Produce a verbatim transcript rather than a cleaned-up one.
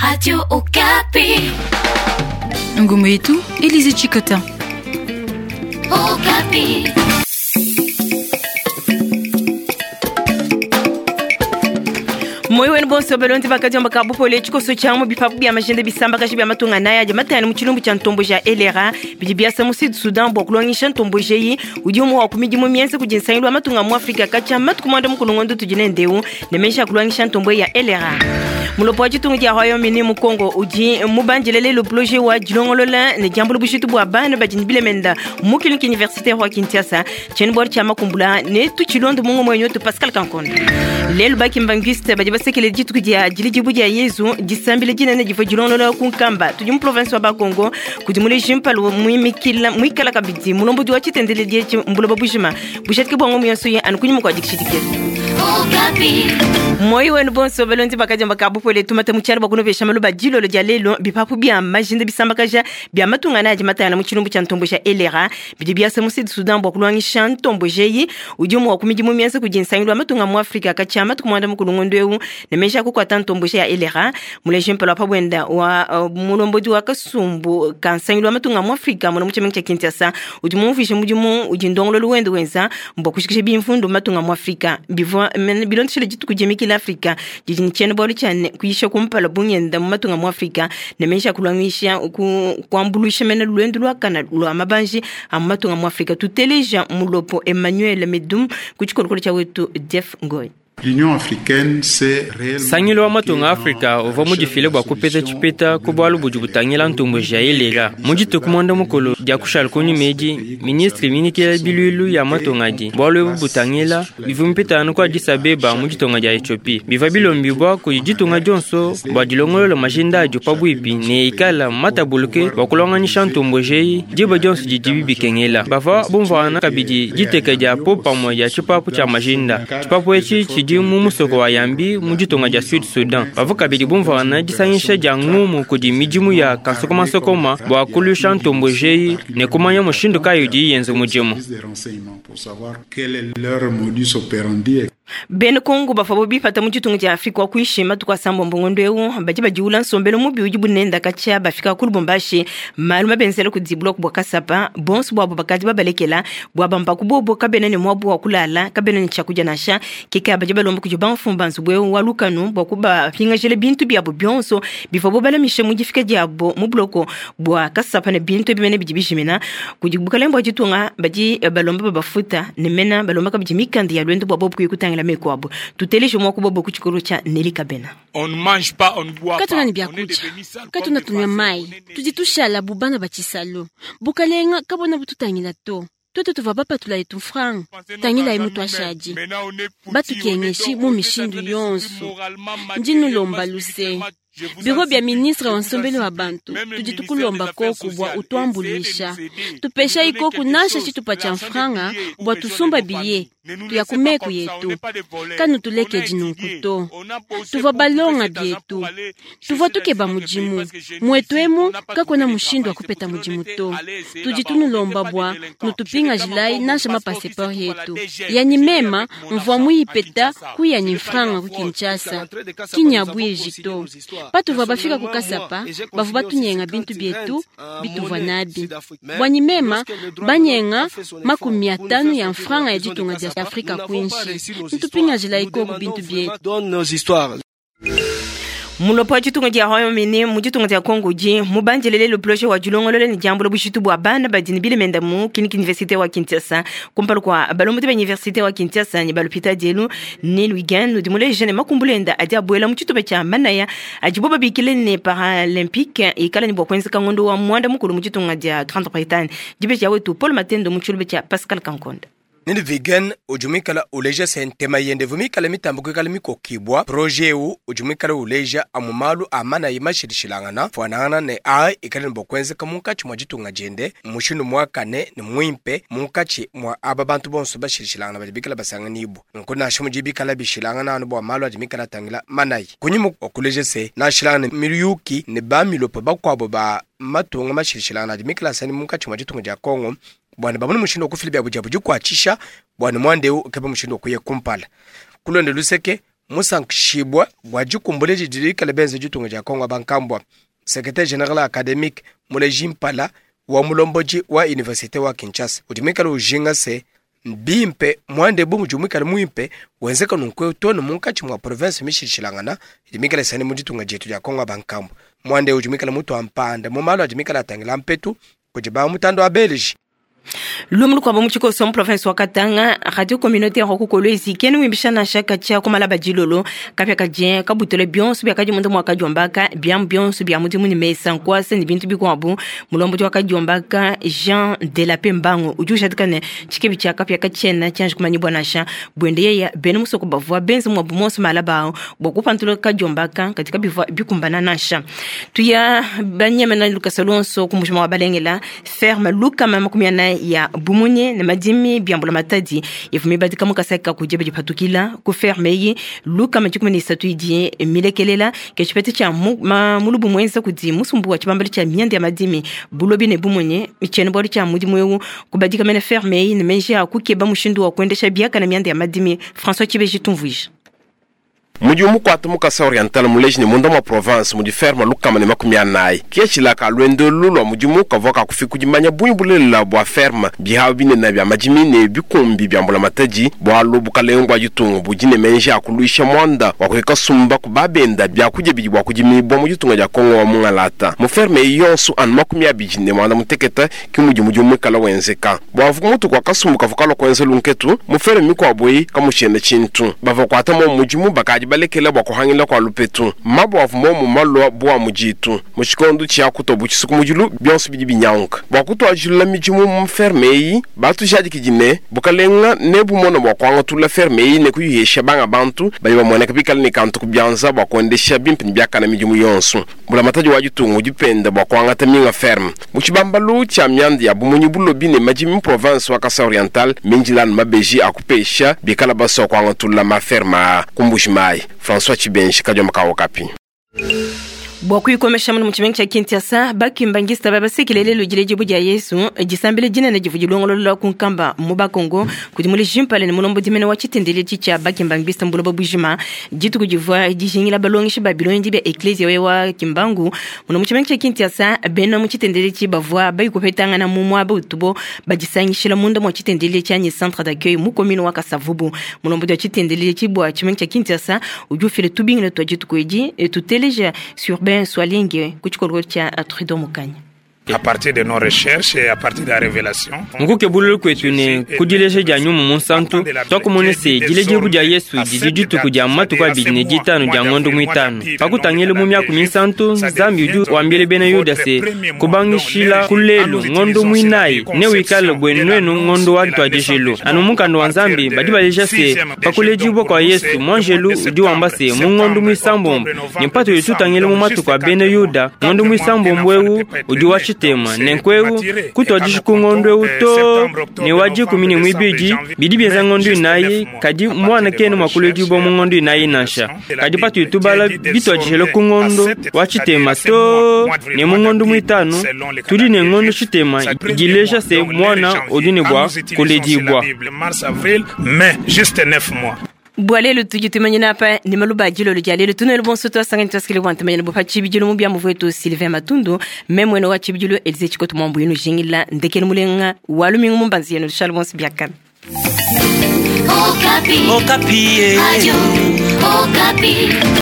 Radio Okapi. Ngumu yetu, Elise Chikota. Okapi. Moyo wenu bonso balonzi bakadiomba ka bupole tshikoso tshia mu bipapu bia majenda bisamba kashi bia matunga naya adi matani mu tshilumbu tshia ntombo ja elera bidi biasa mu Sud Sudan bua kulongisha ntombo jeyi udi umue wa ku midimu mienza kudi nsangilu wa matunga mu Afrika katshia matuku muanda mukulu ngondo tudi ne ndeu ne menji a kulongisha ntombo ya elera. Mulopo wa tshitungu dia Royaume-Uni mu Congo udi mubandile lelo projet wa dilongolola ne diambula bushitu bua bana badi ne bilemenda mu clinique universitaire wa Kinshasa tshiena-bualu tshia makumbula ne tutshilondo mu ngumu wenyu Pascal Kankonda. Lelo bakimbanguiste badi basekele dituku dia dilidibu dia Yezu disambila dinene divua dilongolola ku Nkamba tudi mu province wa Bakongo kudi muleji mpalo muimikila muikala kabidi mulombodi wa tshitendeledi etshi mbuloba bujima bujadike bua ngumu yonso ye anu kunyima kua dikishidikela. Okapi. Moyo wenu bonso balonzi bakadiomba ka bupole tumata mu tshialo bua kunopesha maluba dilolo dia lelo bipapu bia majinda bisambakaja bia matunga na adi matana mu tshilumbu tshia ntombo tshia elera bidi biasa mu Sud Sudan bua kulongisha ntombo jeyi udi umue wa ku midimu mienza kudi nsangilu wa matunga mu Afrika katshia matuku muanda mukulu ngondo eu ne menji a kukuata ntombo ya elera muleji mpalo wa pabwenda wa uh, mulombodi wa kasumbu ka nsangilu wa matunga mu Afrika muna mu tshimenga tshia Kinshasa udi mumvuije mudimu udi ndongololo wende wenza mbua kushikisha bimvundu mu matunga mu Afrika bivua mene bilondeshile dituku diemikila Afrika didi ne tshiena-bualu tshia ne kuyisha kumpala bungenda mu matunga mu Afrika ne menji a kulongisha ku kuambuluisha mene luendu luakana lua mabanji a mu matunga mu Afrika. Tuteleja mulopo Emmanuel Medum ku tshikolokolo tshia wetu Jeff Ngoy. L'Union africaine s'est réellement Sangilu wa matunga Afrika uvua mudifile bua kupeta tshipeta ku bualu budi butangila ntombo ja elera mu dituku muanda mukulu dia kushala kunyuma edi ministre minikila biluilu ya matunga adi bualu ebu butangila bivua mipetanu ku Addis Abeba mu ditunga dia Ethiopie bivua bilombibua kudi ditunga dionso bua dilongolola majinda adio pabuipi ne ikala matabuluke bua kulonganisha ntombo jeyi diba dionso didibi bikengela bavua bumvuana kabidi diteka dia po pamue dia tshipapu tshia majinda tshipapu etshi tshidi mu musoko wa Yambi mu ditunga dia Sud Sudan bavua kabidi bumvuana disangisha dia ngumu kudi midimu ya kansokomasokoma bua kulusha ntombo jeyi ne kumanya mushindu kayi udi yenza mudimu. des renseignements pour savoir quel est leur modus operandi. Bena Kongo bavua bipata mu ditunga dia Afrika wa kuishi matuku asambombo ngondo eu badi badiula nsombelu mubi udi bunenda katshia bafika ku Lubumbashi malu mabenzela kudi bloc bua Kasapa bonso buabu bakadi babalekela bua bamba kubobo kabena ne muabu wa kulala kabena ne tshiakudia nansha keka badi balomba kudi bamfumu ba nzubu eu wa lukanu bua kubapingajila bintu biabu bionso bivua balamisha mu difika diabo mu bloko bua Kasapa ne bintu ebimene bidi bijimina kudi bukalenge bua ditunga badi balomba babafuta ne mena balomba kabidi mikanda ya lwendo bua bobu kuya kutangila meko abo tuteleje mwa kubobo ku tshikolo tshia Nelly Kabena. On ne mange pas, on ne boit pas. Katuna ni On est byakudia devenus sales comme katuna des tunywa vases. mai On est tudi tushala bubana batshisalu bukalenga kabona bututangila to twete tuva bapatula yetu mfranga tangila ye mutu ashadi Maintenant, on est foutus, batukengeshi on est mu donc- on est en mishindu train de yonso subir moralement, ndinulomba matériellement, luse spirituellement. Je vous biro en bya supplie, ministre je wa vous en nsombelo wa supplie. bantu Même le tudi ministère tukulomba des Affaires koku bua sociales, utuambuluisha essayez de nous aider. tupesha Nous donner ikoku quelque nasha chose, tshitupa tshia l'argent des mfranga billets ou bua besoin de tusumba nos biye familles. Ne nous tuya laissez ku pas meku comme ça, on yetu n'est pas des voleurs. kanu On a tulekedi nunku étudié, to on a bossé tuvua pour trouver balonga cet argent bietu pour aller tuvua chercher tukeba dans notre pays mudimu parce que chez nous, mwetu ici, emu on n'a pas kakona trouvé de mushindu travail. wa kupeta C'est pour mudimu cela to qu'on était allé essayer tudi là-bas. On tunulomba n'était pas bua des délinquants. nutupingajilayi Je réclame nasha encore mon passeport qui se mapaseport trouve à la yetu D G. yani Je l'ai mema avec mon mvua argent à muipeta Kinshasa. kuyani Je n'ai pas mfranga eu ku à fraude. Kinshasa kinyabu ejito patuvua bafika ku Kasapa bavua batunyenga bintu bietu bituvua nabi bwanyi mema banyenga makumi atanu ya mfranga ya ditunga dia Afrika kuinshi ntupingajilayi ikoku bintu bietu. Mulopo wa tshitungu dia Royaume-Uni mu ditunga dia Congo udi mubandile lelo projet wa dilongolola ne diambula bushitu bua bana badi ne bilemenda mu clinique université wa Kinshasa kumpala kua balombodi ba université wa Kinshasa ne balupita dielu ne Luigan udi muleje ne makumbulu enda adi abuela mu tshitupa tshia manaya adibo babikile ne paralympique ikala ne bua kuenzeka ngondo wa muanda mukulu mu ditunga dia Grande-Bretagne dibe dia wetu Paul Matendo mu tshilumbu tshia Pascal Kankonda. Nini vegan ujumikala uleja sentema yende vumikala mitambo kuikala mikokibwa projet eu ujumikala uleja amu malu amana yimashilishilangana fwanangana ne a ikala nibokwenzeka munkatshi mwa ditunga diende mushindu muakane ne muimpe munkatshi mwa aba bantu bonso bashilishilangana badi bikala basanganibwa nku nasha mudi bikala bishilangana anu bua malu adi mikala atangila manayi kunyima okuleja se nashilangana miyuki ne bamilopo bakuabo ba matunga mashilishilangana adi mikala asani munkatshi mwa ditunga dia Kongo bwana bamone mushindu wakufila byabu diabu dikuatshisha bwana mwandeu ukeba mushindu wakuya kumpala kulonde luseke Musankishibwa bua dikumbula didi dikale benze ditunga dia Kongo bankambwa. Secrétaire général académique Muleji Mpala wa mulombodi wa université wa Kinshasa udi muikale ujinga se bimpe mwande bu mudi muikale muimpe wenzeka nunku tonu munkatshi mua province mishilashilangana idi mikale sani mu ditunga dietu dia Kongo bankambwa. Mwande udi muikale mutu wa mpanda mu malu adi mikale atangila mpetu kudi ba mutando wa Belgique. Lumu lukwabo mu tshikoso mu province wa Katanga, radio communautaire wa ku Kolwezi kene wimbisha nansha katshia kumalaba dilolo kapia kadie kabutele bionso biakadi munda mua kadiombaka biamu bionso bia mudimu ne mesa nkuasa ne bintu bikuabu. Mulombodi wa kadiombaka Jean de la Pembango udi ujadika ne tshikebi tshia kapia katshiena tshianji kumanyibua nansha buende yeya bena musoko bavua benze muabu monso malaba awu bua kupantula kadiombaka katika bivua bikumbana nansha. Tuya banyemena lukasa luonso ku mujima wa balengela ferme lukama makumi anayi ya bumunye ne madimi biambula matadi ivumi badika mukasaka kujeba dipatukila ku ferme yi lukama dikumi ne isatu idi milekelela ke tshipete tshia mulubu mwenza kudi musumbu wa tshibambalo tshia mianda ya madimi bulobi ne bumunye tshiena bualu tshia mudimu eu kubadika mene ferme yi ne menji a kukeba mushindu wa kuendesha biaka na mianda ya madimi. François Tshibeji tumvuija. Mudi mukwata mukasa oriental muleji ne munda mwa province mudi ferme lukama ne makumi anayi kietshilaka lwendo lulwa mudimu kavua kakufika kudimanya bunyi bulelela bua ferme bihawu binene bia madimi ne bikumbi bia mbula matadi bualu bukalenga bua ditunga budi ne menji akuluisha mwanda wa kuhika sumba ku babenda bia kudia bidi bua kudimibua mu ditunga dia Kongo wa mungalata mu ferme eyi yonso anu makumi abidi ne mwanda mutekete ki mudi mudimu muikala wenzeka bua mutu kua kasumbu kavua kalua kuenza lunketu mu ferme mikuabu eyi kamutshiena tshintu bavua kuata mo mudimu bakadi balekela bua kuhangila kua lupetu mabo avu momu malua bua muditu mu tshikondo tshia kutobu tshisuku mudilu bionso bidi binyanguka bua kutuajilula midimu mu ferme eyi batujadikidi ne bukalenga ne bumona bua kuangatula ferme eyi ne kuyihesha banga bantu badi bamueneka bikale ne kantu ku bianza bua kuendesha bimpe ne biakana midimu yonso. Mbulamatadi wa ditunga udi penda bua kuangata minga ferme mu tshibambalu tshia mianda ya bumunyi bulobi ne madimi mu province wa Kasai Oriental minjilanu mabeji akupesha bikala basua kuangatula maferme aa ku Mbuji-Mayi. François Tshibenji kadioma ka Okapi. Bua kuikomesha munu mu tshimenga tshia Kinshasa bakimbangista babasekelele lujile dibu dia Yesu disambile dinene divu dilongolola ku nkamba mu Bakongo kudi muleji mpale ne mulombodi mene wa tshitendeledi tshia bakimbangista mbuloba bujima dituku divua dijingila balongeshi ba bilongi bia eklesia we wa Kimbangu muno mu tshimenga tshia Kinshasa bena mu tshitendeledi bavua bayikupetangana mu muaba utubo badisangishila munda mua tshitendeledi tshianyi centre d'accueil mu commune wa Kasavubu. Mulombodi wa tshitendeledi bua tshimenga tshia Kinshasa udi ufila tubingila tua dituku edi tuteleja sur ben Swalinge ku tshikolokolo tshia Trudeau Mukanya. À partir de nos recherches et à partir de la révélation, nkuke bululu kwetu ne kudileja dia nyumu munsantu twakumone se dilejibu dia Yesu didi dituku dia matuku abidi ne ditanu dia ngondo muitanu pakutangile mu miaku minsantu Nzambi udi wambile bena Yuda se kubangishila kulelu ngondo muinayi ne wikale bwenuenu ngondo wa ntwadijelu anu mukanda wa Nzambi badi baleja se pakulejibwa kwa Yesu mwanjelu udi wamba se mu ngondo muisambombo ne mpatu yetutangile mu matuku a bena Yuda ngondo muisambombo ewu udi wa tshitema nenkweu kutwadisha ku ngondo ewu to ne wa dikumi ne muibidi bidi bienza ngondo inayi kadi mwana kene mwakulejibwa mu ngondo inayi nansha kadi patu tubala bitwadishele ku ngondo wa tshitema to ne mu ngondo muitanu tudi ne ngondo tshitema idileja se mwana udi ne bua kuledibwa. Mars, avril, mai, juste neuf mois. Bwalelo tudi tumanyina apa ni maluba dilolo dia lelo tunelo bonso twasangani twasikile bwa ntumanyina bo pa tshibidilo mu bia muvu Sylvain Matundu memwene wa tshibidilo Elise Tshikoto mwambu yenu jingila ndekele mulenga walumingu mumbanzi yenu Charles Bonsi biakana. Okapi. Okapi. Radio Okapi.